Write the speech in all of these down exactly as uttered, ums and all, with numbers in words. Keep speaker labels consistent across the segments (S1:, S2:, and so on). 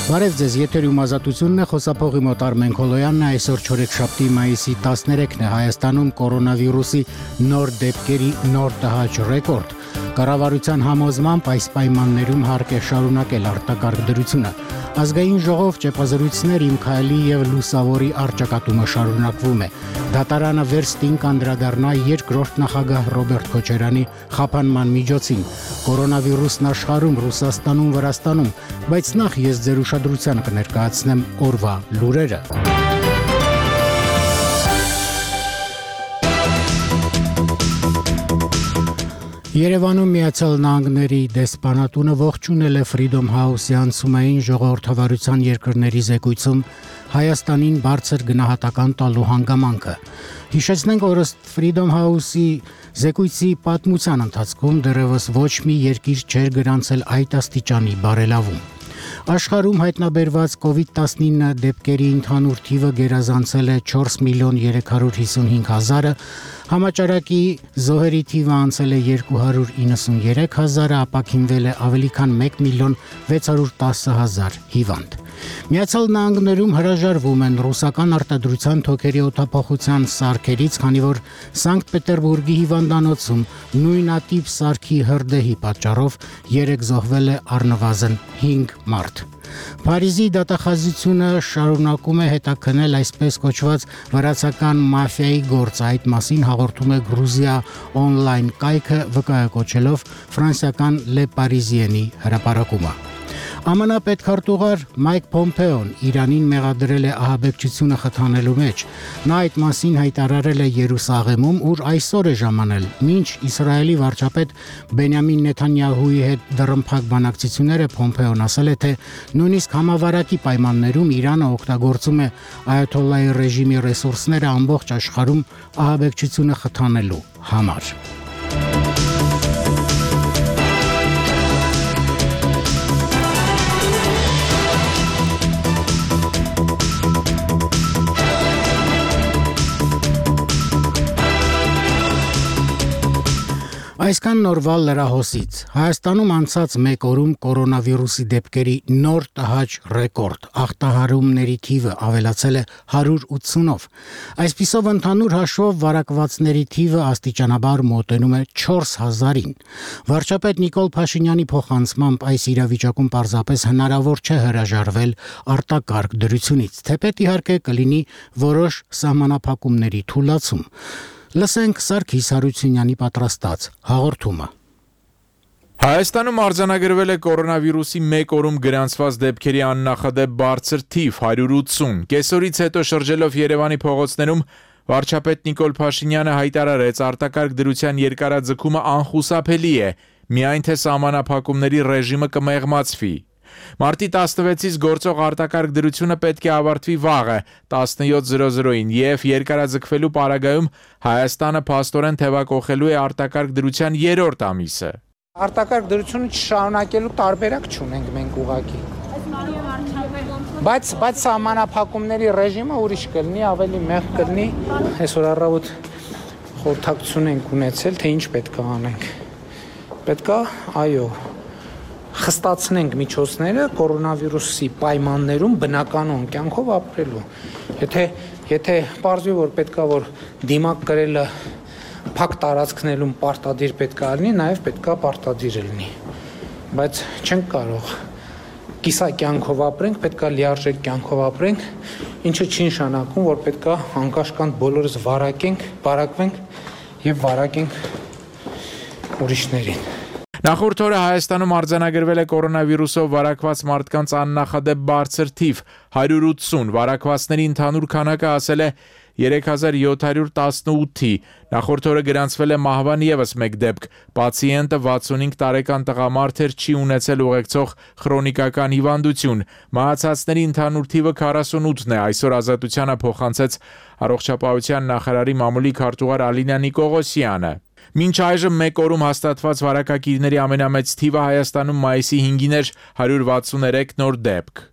S1: Բարև ձեզ, եթերում ազատությունն է, խոսափողի մոտ Արմեն Քոլոյանն է, այսօր չորեքշաբթի մայիսի տասներեքն է, Հայաստանում կորոնավիրուսի նոր դեպքերի նոր տհաճ ռեկորդ։ Կառավարության համոզմամբ այս պայմաններում հարկ է շարունակել արտակարգ դրությունը։ Ազգային ժողով ճեպազրույցներ Իմ Քայլի եւ Լուսավորի առճակատումը շարունակվում է։ Դատարանը վերստին կանդրադառնա երկրորդ նախագահ Ռոբերտ Քոչարյանի խափանման միջոցին։ Կորոնավիրուսն աշխարհում, Ռուսաստանում, Վրաստանում, բայց նախ ես ձեր ուշադրության կներկայացնեմ օրվա լուրերը։ Երևանում Միացյալ Նահանգների դեսպանատունը ողջունել է Freedom House-ի անցումային ժողովրդավարության երկրների զեկույցում Հայաստանին բարձր գնահատական տալու հանգամանքը։ Հիշեցնենք, որ ըստ Freedom House-ի զեկույցի պատմության ընթացքում դեռևս ոչ մի երկիր չէր գրանցել այդ աստիճանի բարելավում։ Աշխարհում հայտնաբերված կովիդ տասնինը դեպքերի ընդհանուր թիվը գերազանցել է չորս միլիոն երեք հարյուր հիսունհինգ հազարը, համաճարակի զոհերի թիվը անցել է երկու հարյուր իննսուներեք հազարը, ապաքինվել է ավելի քան մեկ միլիոն վեց հարյուր տասը հազար հիվանդ։ Միացյալ Նահանգներում հրաժարվում են ռուսական արտադրության թոքերի օդափոխության սարքերից, քանի որ Սանկտ Պետերբուրգի հիվանդանոցում նույնատիպ սարքի հրդեհի պատճառով երեք զոհվել է առնվազն հինգ մարդ։ Փարիզի դատախազությունը շարունակում է հետաքննել այսպես կոչված վրացական մաֆիայի գործը, այդ մասին հաղորդում է Գրուզիա օնլայն կայքը վկայակոչելով ֆրանսիական Le Parisien-ի հրապարակումը։ ԱՄՆ պետքարտուղար Մայք Փոմփեոն Իրանին մեղադրել է ահաբեկչությունը խթանելու մեջ։ Նա այդ մասին հայտարարել է Երուսաղեմում, ուր այսօր է ժամանել, մինչ Իսրայելի վարչապետ Բենյամին Նեթանյահուի հետ դռնփակ բանակցությունները Փոմփեոն ասել է, թե նույնիսկ համավարակի պայմաններում Իրանը օգտագործում է այաթոլլայի ռեժիմի ռեսուրսները ամբողջ աշխարհում ահաբեկչությունը խթանելու համար։ Այսքան նորվա լրահոսից։ Հայաստանում անցած մեկ օրում կորոնավիրուսի դեպքերի նոր տհաճ ռեկորդ, ախտահարումների թիվը ավելացել է հարյուր ութսունով։ Այսպիսով ընդհանուր հաշվով վարակվածների թիվը աստիճանաբար մոտենում է չորս հազարին։ Վարչապետ Նիկոլ Փաշինյանի փոխանցմամբ այս իրավիճակում պարզապես հնարավոր չէ հրաժարվել արտակարգ դրությունից, թեպետ իհարկե կլինի որոշ սահմանափակումների թուլացում։ Լսենք Սարգիս Հարությունյանի պատրաստած հաղորդումը։
S2: Հայաստանում արձանագրվել է կորոնավիրուսի մեկ օրում գրանցված դեպքերի աննախադեպ բարձր թիվ հարյուր ութսուն։ Կեսօրից հետո շրջելով Երևանի փողոցներում վարչապետ Նիկոլ Փաշինյանը հայտարարեց արտակարգ դրության երկարաձգումը անխուսափելի է, միայն թե սահմանափակումների ռեժիմը կմեղմացվի։ Մարտի տասնվեցից գործող արտակարգ դրությունը պետք է ավարտվի վաղը տասնյոթ զրո զրոին եւ երկարաձգվելու պարագայում Հայաստանը փաստորեն թեվակողելու է արտակարգ դրության երրորդ ամիսը։
S3: Արտակարգ դրությունը չշարունակելու տարբերակ չունենք մենք ուղղակի։ Բայց բայց սահմանափակումների ռեժիմը ուրիշ կլինի, ավելի մեղմ կլինի։ Այսօր առավոտ խորհրդակցություն ենք ունեցել, թե ինչ պետք է անենք։ Պետք է, այո, խստացնենք միջոցները կորոնավիրուսի պայմաններում բնականon կյանքով ապրելու։ Եթե եթե պարզվի, որ պետքա որ դիմակ կրելը փակ տարածքներում պարտադիր պետքա լինի, նաև պետքա պարտադիր լինի։ Բայց չենք կարող կիսա կյանքով ապրենք, պետքա լիարժեք կյանքով ապրենք, ինչը չի նշանակում, որ պետքա անկաշկանդ բոլորս վարակենք, վարակվենք եւ վարակենք ուրիշներին։
S2: Նախորդ օրը Հայաստանում արձանագրվել է կորոնավիրուսով վարակված մարդկանց աննախադեպ բարձր թիվ հարյուր ութսուն, վարակվածների ընդհանուր քանակը հասել է երեք հազար յոթ հարյուր տասնութի, նախորդ օրը գրանցվել է մահվան ևս մեկ դեպք, պացիենտը վաթսունհինգ տարեկան տղամարդ էր, չի ունեցել ուղեկցող քրոնիկական հիվանդություն, մահացածների ընդհանուր թիվը քառասունութն է, այսօր Ազատությանը փոխանցեց առողջապահության նախարարի մամուլի քարտուղար Ալինա Նիկողոսյանը։ Մինչ այժմ մեկ օրում հաստատված վարակակիրների ամենամեծ թիվը Հայաստանում մայիսի հինգին էր հարյուր վաթսուներեք նոր դեպք։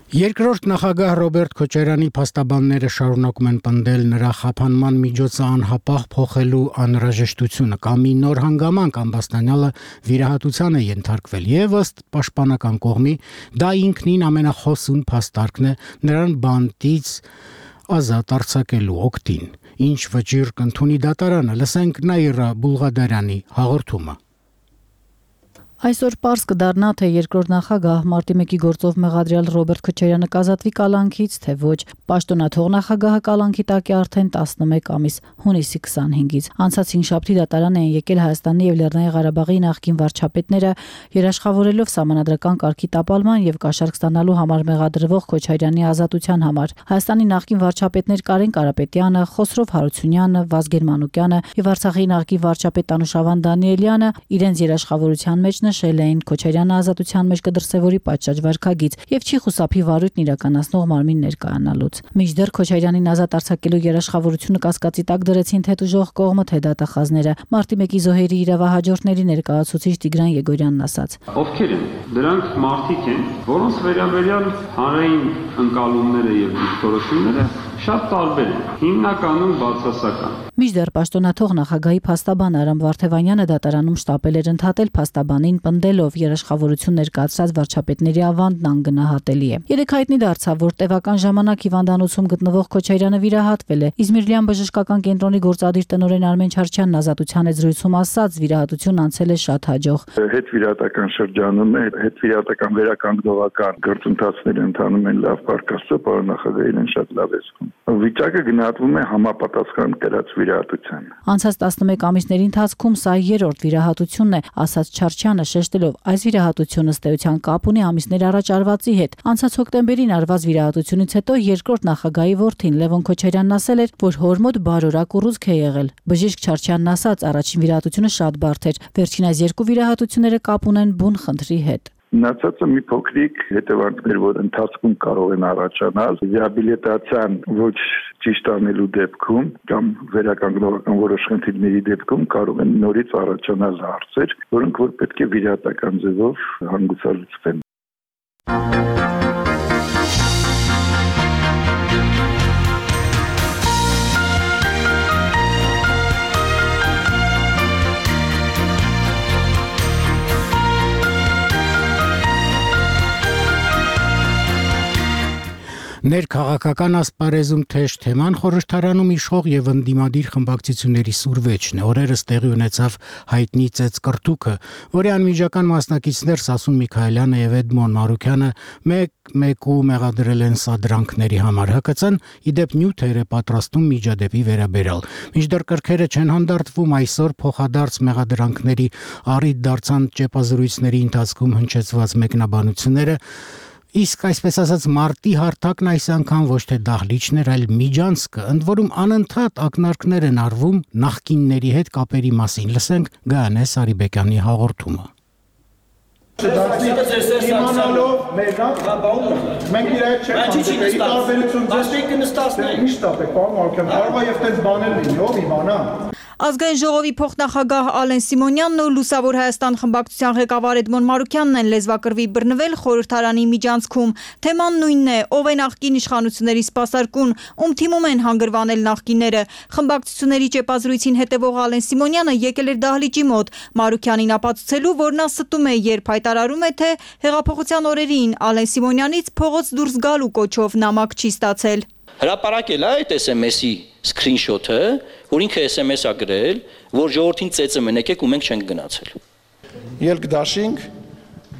S1: Երկրորդ նախագահ Ռոբերտ Քոչարյանի փաստաբանները շարունակում են պնդել նրա խափանման միջոցը անհապաղ փոխելու անհրաժեշտությունը կամ մի նոր հանգամանք Ամբաստանյանը վիրահատության է ենթարկվել եւ ըստ պաշտպանական կողմի դա ինքնին ամենախոսուն փաստարկն է նրան բանտից ազատ արձակելու օգտին ինչ վճիռ կընդունի դատարանը լսենք Նաիրա Բուլղադարյանի հաղորդումը
S4: Այսօր պարզ կդառնա, թե երկրորդ նախագահ մարտի մեկի գործով մեղադրյալ Ռոբերտ Քոչարյանը կազատվի կալանքից, թե ոչ։ Պաշտոնաթող նախագահը կալանքի տակ է արդեն տասնմեկ ամիս, հունիսի քսանհինգից։ Անցած հինգշաբթի դատարան են եկել Հայաստանի եւ Լեռնային Ղարաբաղի նախկին վարչապետները, երաշխավորելով սահմանադրական կարգի տապալման եւ կաշառք ստանալու համար մեղադրվող Քոչարյանի ազատության համար։ Հայաստանի նախկին վարչապետներ Կարեն Կարապետյանը, Խոսրով Հարությունյանը, Վազգեն Մանուկյանը եւ Արցախի նախկին վարչապետ Անուշավան Դանիելյանը իրենց երաշխավորության մեջ նշել էին Քոչարյանը ազատության մեջ կդրսևորի պատշաճ վարքագիծ եւ չի խուսափի վարույթն իրականացնող մարմին ներկայանալուց։ Մինչդեռ Քոչարյանին ազատ արձակելու երաշխավորությունը կասկածի տակ դրեցին թե տուժող կողմը, թե դատախազները։ Մարտի մեկի զոհերի իրավահաջորդների ներկայացուցիչ Տիգրան Եգորյանն ասաց.
S5: Ովքեր են։ Դրանք մարդիկ են, որոնց վերաբերյալ հանրային ընկալումները եւ դիրքորոշումները շատ տարբեր են, հիմնականում բացասական։
S4: Մինչդեռ պաշտոնաթող նախագահի փաստաբան Արամ Վարդևանյանը դատարանում շտապել էր ընդհատել փաստաբանին պնդելով երաշխավորություն ներկայացրած վարչապետների ավանդն անգնահատելի է։ Երեք հայտնի դարձավ, որ տևական ժամանակ հիվանդանոցում գտնվող Քոչարյանը վիրահատվել է։ Իզմիրլյան բժշկական կենտրոնի գործադիր տնօրեն Արմեն Չարչյանն ազատության զրույցում ասաց, վիրահատությունն անցել է շատ հաջող։
S6: Հետ վիրահատական շրջանում է, հետ վիրահատական վերականգնողական գործընթացները ընթանում են լավ բարգաստո, պարոն նախագահ իրեն շատ լավ է զգում։ Վիճակը գնահատվում է համապատասխան կրած վիրահատության։
S4: Անցած տասնմեկ ամիսների ընթացքում սա երրորդ վիրահատությունն է, ասաց Չարչյանը, շեշտելով այս վիրահատությունը ըստ էության կապ ունի ամիսներ առաջ արվածի հետ։ Անցած հոկտեմբերին արված վիրահատությունից հետո երկրորդ նախագահի որդին Լևոն Քոչարյանն ասել էր, որ հոր մոտ բարորակ ուռուցք է եղել։ Բժիշկ Չարչյանն ասաց, առաջին վիրահատությունը շատ բարդ էր, վերջին այս երկու վիրահատությունները կապ ունեն բուն խնդրի հետ։
S6: Մնացածը մի փոքրիկ հետևանքներ, որ ընթացքում կարող են առաջանալ, ռեաբիլիտացիան ոչ ճիշտ անելու դեպքում կամ վերականգնողական որոշ խնդիրների դեպքում կարող են նորից առաջանալ հարցեր, որոնք որ պետք է վիրահատական ձևով հանգուցալուծվեն։
S1: Ներքաղաքական ասպարեզում թեժ թեման խորհրդարանում իշխող եւ ընդդիմադիր խմբակցությունների սուրվեճն է։ Օրերս տեղի ունեցավ հայտնի ծեծկրտուկը, որի անմիջական մասնակիցներ Սասուն Միքայելյանը եւ Էդմոն Մարուկյանը մեկ-մեկու մեղադրել են սադրանքների համար։ ՀԿՑ-ն իդեպ նյութեր է պատրաստում միջադեպի վերաբերյալ։ Մինչդեռ կրքերը չեն հանդարտվում, այսօր փոխադարձ մեղադրանքների առիթ դարձան ճեպազրույցների ընթացքում հնչեցված մեկնաբանությունները։ Իսկ այսպես ասած մարտի հարթակն այս անգամ ոչ թե դահլիճն էր, այլ միջանցքը, ընդ որում անընդհատ ակնարկներ են արվում նախկինների հետ կապերի մասին։ Լսենք Գայանե Սարիբեկյանի հաղորդումը։
S7: Իմանալով մերնակ մենք իր հետ չենք հանդիպել, ի տարբերություն ձեզ կնստացնենք։ Միշտ ապեք, պարոն Մարուկյան, կարող է եւ տենց բաներ լինի, ով իմանա։
S8: Ազգային ժողովի փոխնախագահ Ալեն Սիմոնյանն ու Լուսավոր Հայաստան խմբակցության ղեկավար Էդմոն Մարուկյանն են լեզվակռվի բռնվել խորհրդարանի միջանցքում։ Թեման նույնն է՝ ով է նախկին իշխանությունների սպասարկուն, ում թիմում են հանգրվանել նախկինները։ Խմբակցությունների ճեպազրույցին հետևող Ալեն Սիմոնյանը եկել էր դահլիճի մոտ Մարուկյանին ապացուցելու, որ նա ստում է, երբ հայտարարում է, թե հեղափոխության օրերին Ալեն Սիմոնյանից փողոց դուրս գալու կոչով նամակ չի ստացել։
S9: Հրապարակել է այդ էս էմ էսի սկրինշոթը, որ ինքը էս էմ էս է գրել, որ ժողովրդին ծեծը մեն եկեք ու մենք չենք գնացել։
S7: Ելք դաշինք,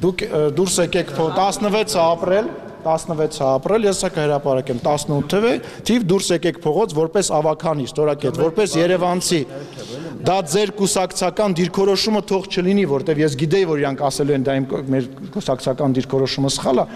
S7: դուք դուրս եկեք տասնվեց ապրիլ, տասնվեց ապրիլ, ես սա կհրապարակեմ տասնութ թիվ դուրս եկեք փողոց որպես ավականի, ստորակետ, որպես երևանցի։ Դա ձեր կուսակցական դիրքորոշումը թող չլինի, որտեվ ես գիտեի, որ իրանք ասելու են դա իմ մեր կուսակցական դիրքորոշումը սխալ է։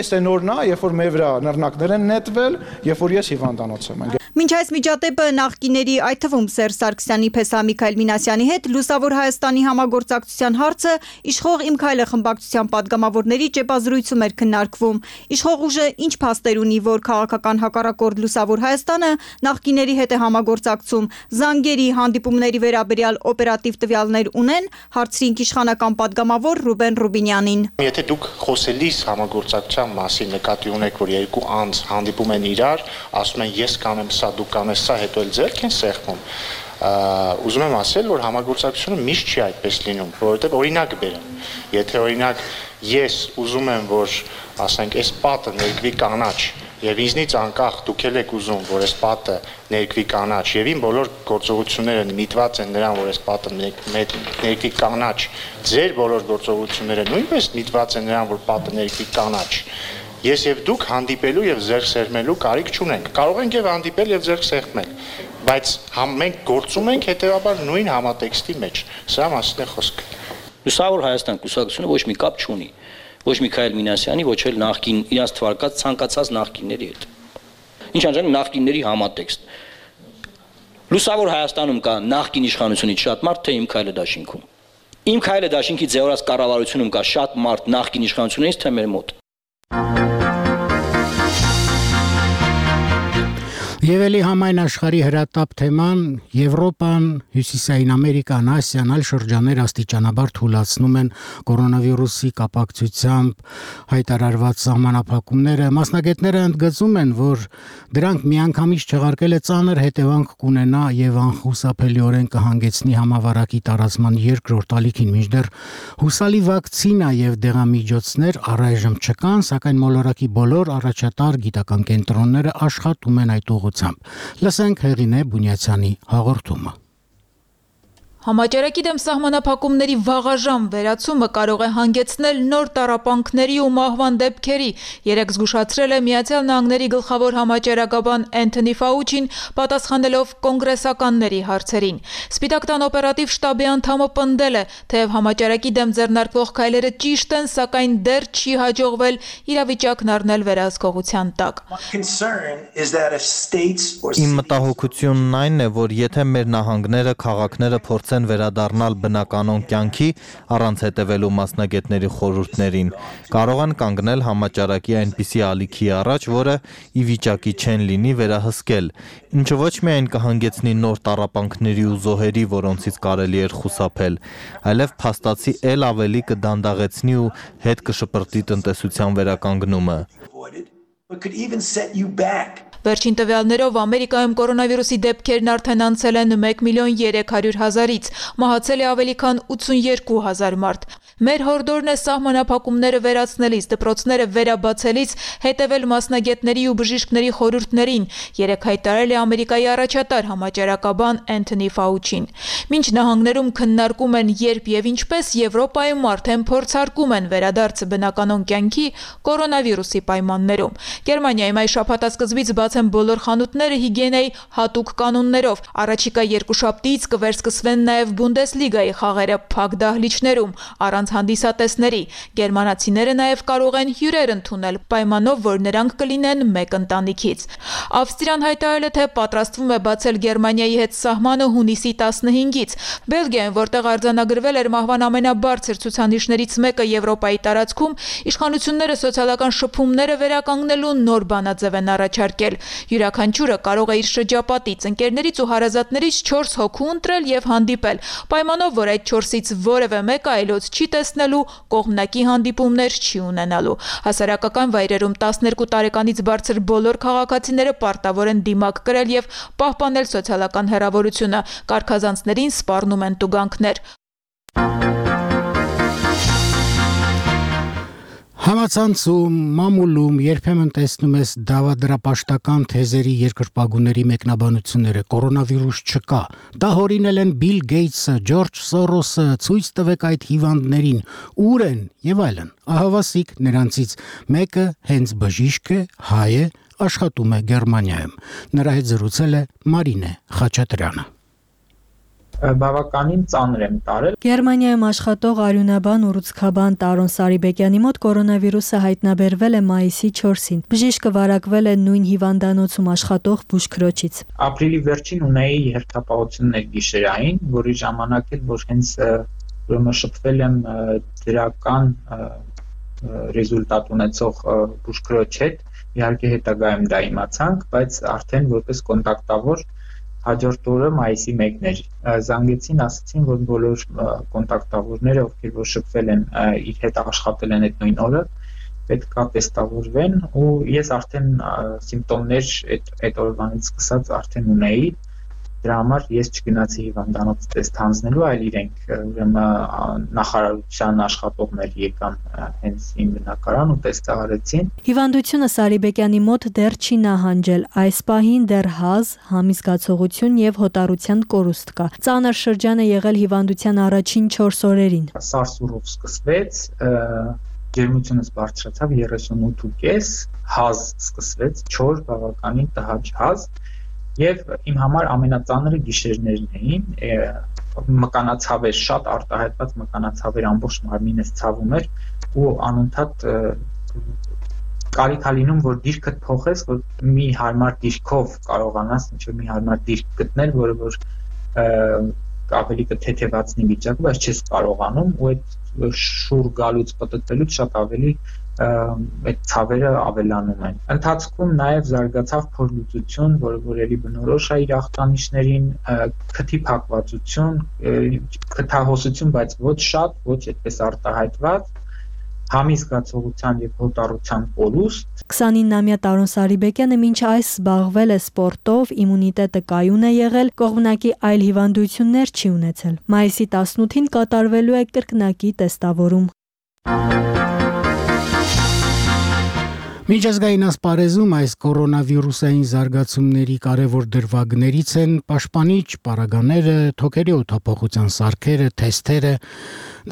S7: Այս է նորն է, երբ որ մեր վրա նռնակներ են նետվել, երբ որ ես հիվանդանոց եմ։
S8: Մինչ այս միջադեպը նախկիների, այդ թվում Սերժ Սարգսյանի պես Միքայել Մինասյանի հետ Լուսավոր Հայաստանի համագործակցության հարցը իշխող Իմ քայլը խմբակցության падգամավորների ճեպազրույցում էր քննարկվում։ Իշխող ուժը ինչ փաստեր ունի, որ քաղաքական հակառակորդ Լուսավոր Հայաստանը նախկիների հետ է համագործակցում, զանգերի, հանդիպումների վերաբերյալ օպերատիվ տվյալներ ունեն, հարցրինք իշխանական падգամավոր Ռուբեն Ռուբինյանին։
S10: Եթե դուք խոսելիս համագործակցության մասին նկատի ունեք, որ երկու անձ հանդիպում են իրար, ասում են ես կանեմ սա, դու կանես սա, հետո էլ ձեռք են սեղմում, ուզում եմ ասել, որ համագործակցությունը միշտ չի այդպես լինում, որովհետև օրինակ բերեմ, եթե օրինակ ես ուզում եմ, որ ասենք այս պատը ներկվի կանաչ, եւ ինձնից անկախ դուք եք ուզում, որ այս պատը ներկվի կանաչ, եւ իմ բոլոր գործողությունները միտված են նրան, որ այս պատը ներկվի կանաչ, ձեր բոլոր գործողությունները նույնպես միտված են նրան, որ պատը ներկվի կանաչ, ես եւ դուք հանդիպելու եւ ձեռք սեղմելու կարիք չունենք, կարող ենք եւ հանդիպել եւ ձեռք սեղմել, բայց մենք գործում ենք հետեւաբար նույն համատեքստի մեջ, սա մասին է խոսքը։
S9: Լուսավոր Հայաստան կուսակցությունը ոչ մի կապ չունի, ոչ Միքայել Մինասյանի, ոչ էլ նախկին իրաց թվարկած ցանկացած նախկինների հետ։ Ինչ անջան նախկինների համատեքստ։ Լուսավոր Հայաստանում կա նախկին իշխանությունից շատ մարդ, թե Իմ քայլը դաշինքում։ Իմ քայլը դաշինքի ձևորած կառավարությունում կա շատ մարդ նախկին իշխանությունից, թե մեր մոտ։
S1: Եվ էլի համայն աշխարհի հրատապ թեման Եվրոպան, Հյուսիսային Ամերիկան, Ասիան, այլ շրջաններ աստիճանաբար թուլացնում են կորոնավիրուսի կապակցությամբ հայտարարված սահմանափակումները։ Մասնագետները ընդգծում են, որ դրանք միանգամից չեղարկելը ծանր հետևանք կունենա եւ անխուսափելիորեն կհանգեցնի համավարակի տարածման երկրորդ ալիքին, մինչդեռ հուսալի վակցինա եւ դեղամիջոցներ առայժմ չկան, սակայն մոլորակի բոլոր առաջատար գիտական կենտրոնները աշխատում են այդ ուղղությամբ։ Լսենք Հեղինե Բունյացյանի հաղորդումը։
S11: Համաճարակի դեմ սահմանափակումների վաղաժամ վերացումը կարող է հանգեցնել նոր տառապանքների ու մահվան դեպքերի, երեկ զգուշացրել է Միացյալ Նահանգների գլխավոր համաճարակաբան Էնթոնի Ֆաուչին, պատասխանելով կոնգրեսականների հարցերին։ Սպիտակ տան օպերատիվ շտաբի անդամը պնդել է, թեև համաճարակի դեմ ձեռնարկվող քայլերը ճիշտ են, սակայն դեռ չի հաջողվել իրավիճակն առնել վերահսկողության տակ։
S12: Իմ մտահոգությունն այն է, որ եթե մեր նահանգները, քաղաքները փորձեն վերադառնալ բնականոն կյանքի առանց հետևելու մասնագետների խորհուրդներին, կարող են կանգնել համաճարակի այնպիսի ալիքի առաջ, որը ի վիճակի չեն լինի վերահսկել, ինչը ոչ միայն կհանգեցնի նոր տառապանքների ու զոհերի, որոնցից կարելի էր խուսափել, այլև փաստացի էլ ավելի կդանդաղեցնի ու հետ կշպրտի տնտեսության վերականգնումը։
S11: Վերջին տվյալներով Ամերիկայում կորոնավիրուսի դեպքերն արդեն անցել են մեկ միլիոն երեք հարյուր հազարից, մահացել է ավելի քան ութսունյերկու հազար մարդ։ Մեր հորդորն է սահմանափակումները վերացնելիս, դպրոցները վերաբացելիս հետևել մասնագետների ու բժիշկների խորհուրդներին, երեկ հայտարարել է Ամերիկայի առաջատար համաճարակաբան Էնթոնի Ֆաուչին։ Մինչ նահանգներում քննարկում են երբ եւ ինչպես, Եվրոպայում արդեն փորձարկում են վերադարձը բնականոն կյանքի կորոնավիրուսի պայմաններում։ Գերմանիայում այս շաբաթասկզբից բաց են բոլոր խանութները հիգիենայի հատուկ կանոններով։ Առաջիկա երկուշաբթիից կվերսկսվեն նաև Բունդեսլիգայի խաղերը փակ դահլիճներում, առանց հանդիսատեսների։ Գերմանացիները նաև կարող են հյուրեր ընդունել, պայմանով, որ նրանք կլինեն մեկ ընտանիքից։ Ավստրիան հայտարարել է, թե պատրաստվում է բացել Գերմանիայի հետ սահմանը հունիսի տասնհինգից։ Բելգիայում, որտեղ արձանագրվել էր մահվան ամենաբարձր ցուցանիշներից մեկը Եվրոպայի տարածքում, իշխանությունները սոցիալական շփումները վերականգնելու նոր բանաձև են առաջարկել։ Յուրաքանչյուրը կարող է իր շրջապատից, ընկերներից ու հարազատներից չորս հոգու ընտրել եւ հանդիպել, պայմանով, որ այդ չորսից որևէ մեկը այլոց չի տեսնելու, կողմնակի հանդիպումներ չի ունենալու։ Հասարակական վայրերում տասներկու տարեկանից բարձր բոլոր քաղաքացիները պարտավոր են դիմակ կրել եւ պահպանել սոցիալական հեռավորությունը, կարգազանցներին սպառնում են տուգանքներ։
S1: Համացանցում, մամուլում երբեմն տեսնում ես դավադրապաշտական թեզերի երկրպագուների մեկնաբանությունները, կորոնավիրուս չկա, դա հորինել են Բիլ Գեյթսը, Ջորջ Սորոսը, ցույց տվեք այդ հիվանդներին, ուր են եւ այլն։ Ահավասիկ նրանցից մեկը հենց բժիշկ է, հայ է, աշխատում է Գերմանիայում։ Նրա հետ զրուցել է Մարինե Խաչատրյանը։
S13: բավականին ծանր եմ տարել։
S14: Գերմանիայում աշխատող արյունաբան ու ռուցքաբան Տարոն Սարիբեկյանի մոտ կորոնավիրուսը հայտնաբերվել է մայիսի չորսին։ Բժիշկը վարակվել է նույն հիվանդանոցում աշխատող բուժքրոջից։
S13: Ապրիլի վերջին ունեի հերթապահություններ գիշերային, որի ժամանակ էլ որ հենց ուրեմն շփվել եմ դրական ռեզուլտատ ունեցող բուժքրոջ հետ, իհարկե հետագայում դա իմացանք, բայց արդեն որպես կոնտակտավոր հաջորդ օրը մայիսի մեկն էր զանգեցին, ասացին, որ բոլոր կոնտակտավորները, ովքեր որ շփվել են իր հետ աշխատել են այդ նույն օրը, պետք է տեստավորվեն ու ես արդեն սիմպտոմներ այդ այդ օրվանից սկսած արդեն ունեի, դրա համար ես չգնացի հիվանդանոց տեստ հանձնելու, այլ իրենք ուրեմն նախարարության աշխատողներ եկան հենց իմ բնակարան ու տեստահարեցին։
S14: Հիվանդությունը Սարիբեկյանի մոտ դեռ չի նահանջել, այս պահին դեռ հազ, համի զգացողություն եւ հոտառության կորուստ կա։ Ծանր շրջան է եղել հիվանդության առաջին չորս օրերին։
S13: Սարսուրով սկսվեց, ջերմությունս բարձրացավ երեսունութ ու կես, հազ սկսվեց, չոր բավականին տհաճ հազ։ Եվ իմ համար ամենածանրը գիշերներն էին, մկանացավեր, շատ արտահայտված մկանացավեր, ամբողջ մարմինս ցավում էր ու անընդհատ կարիք ա լինում, որ դիրքդ փոխես, որ մի հարմար դիրքով կարողանաս ինչ-որ մի հարմար դիրք գտնել, որը որ ավելի կթեթևացնի վիճակը, բայց չես կարողանում ու այդ շուռ գալուց պտտվելուց շատ ավելի այդ ցավերը ավելանում են։ Ընթացքում նաև զարգացավ փորլուծություն, որը որ էլի բնորոշ է իր ախտանիշներին, քթի փակվածություն, քթահոսություն, բայց ոչ շատ, ոչ այդպես արտահայտված, համի զգացողության եւ հոտառության կորուստ։
S14: քսանինամյա Տարոն Սարիբեկյանը մինչ այս զբաղվել է սպորտով, իմունիտետը կայուն է եղել, կողմնակի այլ հիվանդություններ չի ունեցել։ Մայիսի տասնութին կատարվելու է կրկնակի տեստավորում։
S1: Միջազգային ասպարեզում այս կորոնավիրուսային զարգացումների կարևոր դրվագներից են պաշտպանիչ պարագաները, թոքերի օդափոխության սարքերը, թեստերը։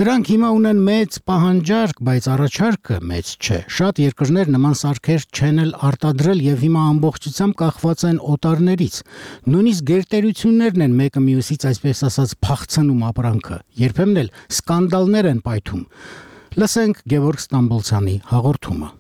S1: Դրանք հիմա ունեն մեծ պահանջարկ, բայց առաջարկը մեծ չէ։ Շատ երկրներ նման սարքեր չեն էլ արտադրել եւ հիմա ամբողջությամբ կախված են օտարներից։ Նույնիսկ գերտերություններն են մեկը մյուսից այսպես ասած փախցնում ապրանքը։ Երբեմն էլ սկանդալներ են պայթում։ Լսենք Գևորգ Ստամբոլցյանի հաղորդումը։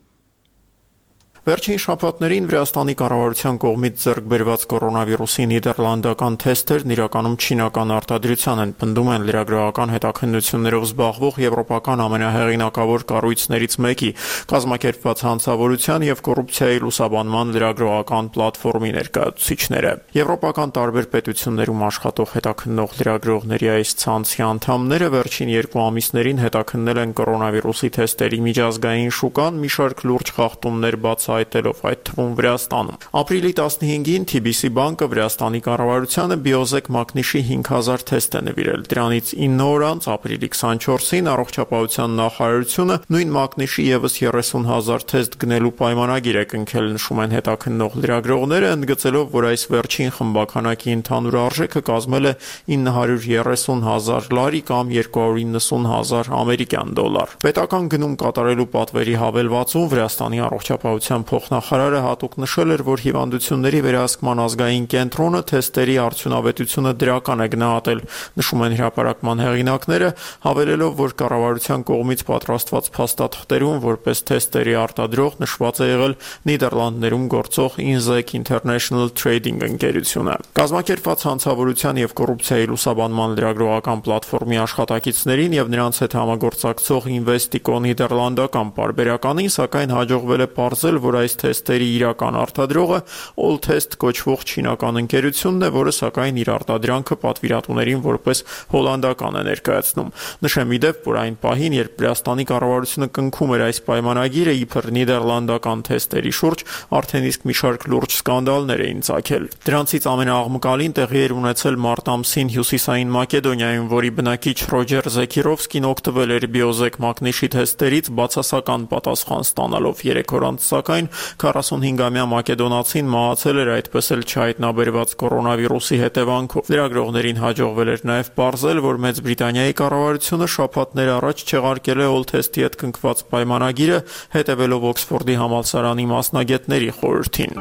S15: Վերջին շաբաթներին Վրաստանի կառավարության կողմից ձեռք բերված կորոնավիրուսի նիդերլանդական թեստերն իրականում չինական արտադրության են, պնդում են լրագրողական հետաքննություններով զբաղվող եվրոպական ամենահեղինակավոր կառույցներից մեկի կազմակերպված հանցավորության եւ կոռուպցիայի լուսաբանման լրագրողական պլատֆորմի ներկայացուցիչները։ Եվրոպական տարբեր պետություններում աշխատող հետաքննող լրագրողների այս ցանցի անդամները վերջին երկու ամիսներին հետաքննել են կորոնավիրուսի թեստերի միջազգային շուկան, մի շարք լուրջ խախտումներ բաց այտելով այդ թվում Վրաստանում։ Ապրիլի տասնհինգին Թի Բի Սի բանկը Վրաստանի կառավարությանը բիոզեկ մագնիշի հինգ հազար թեստ է նվիրել։ Դրանից ինը օր անց ապրիլի քսանչորսին առողջապահության նախարարությունը նույն մագնիշի եւս երեսուն հազար թեստ գնելու պայմանագիր է կնքել, նշում են հետաքննող լրագրողները, ընդգծելով, որ այս վերջին խմբականակի ընդհանուր արժեքը կազմել է ինը հարյուր երեսուն հազար լարի կամ երկու հարյուր իննսուն հազար ամերիկյան դոլար։ Պետական գնում կատարելու պատվերի հավելվածում Վրաստանի առողջապահության փոխնախարարը հատուկ նշել էր, որ հիվանդությունների վերահսկման ազգային կենտրոնը թեստերի արդյունավետությունը դրական է գնահատել, նշում են հրապարակման հեղինակները, հավելելով, որ կառավարության կողմից պատրաստված փաստաթղթերում որպես թեստերի արտադրող նշված է եղել Նիդերլանդներում գործող Inzec International Trading ընկերությունը։ Կազմակերպված հանցավորության եւ կոռուպցիայի լուսաբանման լրագրողական պլատֆորմի աշխատակիցներին եւ նրանց հետ համագործակցող Investico նիդերլանդական պարբերականին սակայն հաջողվել է պարզել, որ այս թեստերի իրական արտադրողը Alltest կոչվող չինական ընկերությունն է, որը սակայն իր արտադրանքը պատվիրատուներին որպես հոլանդական է ներկայացնում։ Նշեմ իդեպ, որ այն պահին, երբ Վրաստանի կառավարությունը կնքում էր այս պայմանագիրը, իբր նիդերլանդական թեստերի շուրջ արդեն իսկ մի շարք լուրջ սկանդալներ էին ծագել։ Դրանցից ամենաաղմկալին տեղի էր ունեցել մարտ ամսին Հյուսիսային Մակեդոնիայում, որի բնակիչ Ռոջեր Զեկիրովսկին օգտվել էր բիոզեկ մագնիշի թեստերից բացասական պատասխան ստանալով երեք օր անց, սակայն քառասունհինգամյա մակեդոնացին մահացել էր այդպես էլ չհայտնաբերված կորոնավիրուսի հետևանքով։ Լրագրողներին հաջողվել էր նաև պարզել, որ Մեծ Բրիտանիայի կառավարությունը շաբաթներ առաջ չեղարկել է Alltest-ի հետ կնքված պայմանագիրը, հետևելով Օքսֆորդի համալսարանի մասնագետների խորհրդին։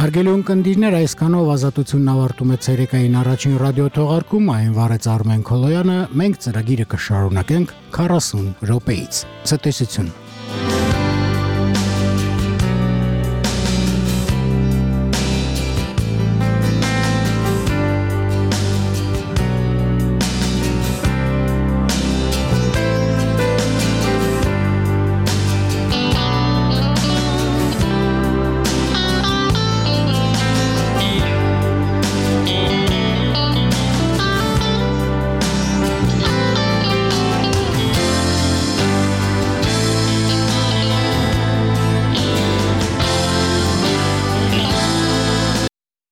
S1: Հարգելի ունկնդիրներ, այսքանով Ազատությունն ավարտում է ցերեկային առաջին ռադիոթողարկումը, այն վարեց Արմեն Քոլոյանը, մենք ծրագիրը կշարունակենք քառասուն րոպեից։ Ցտեսություն։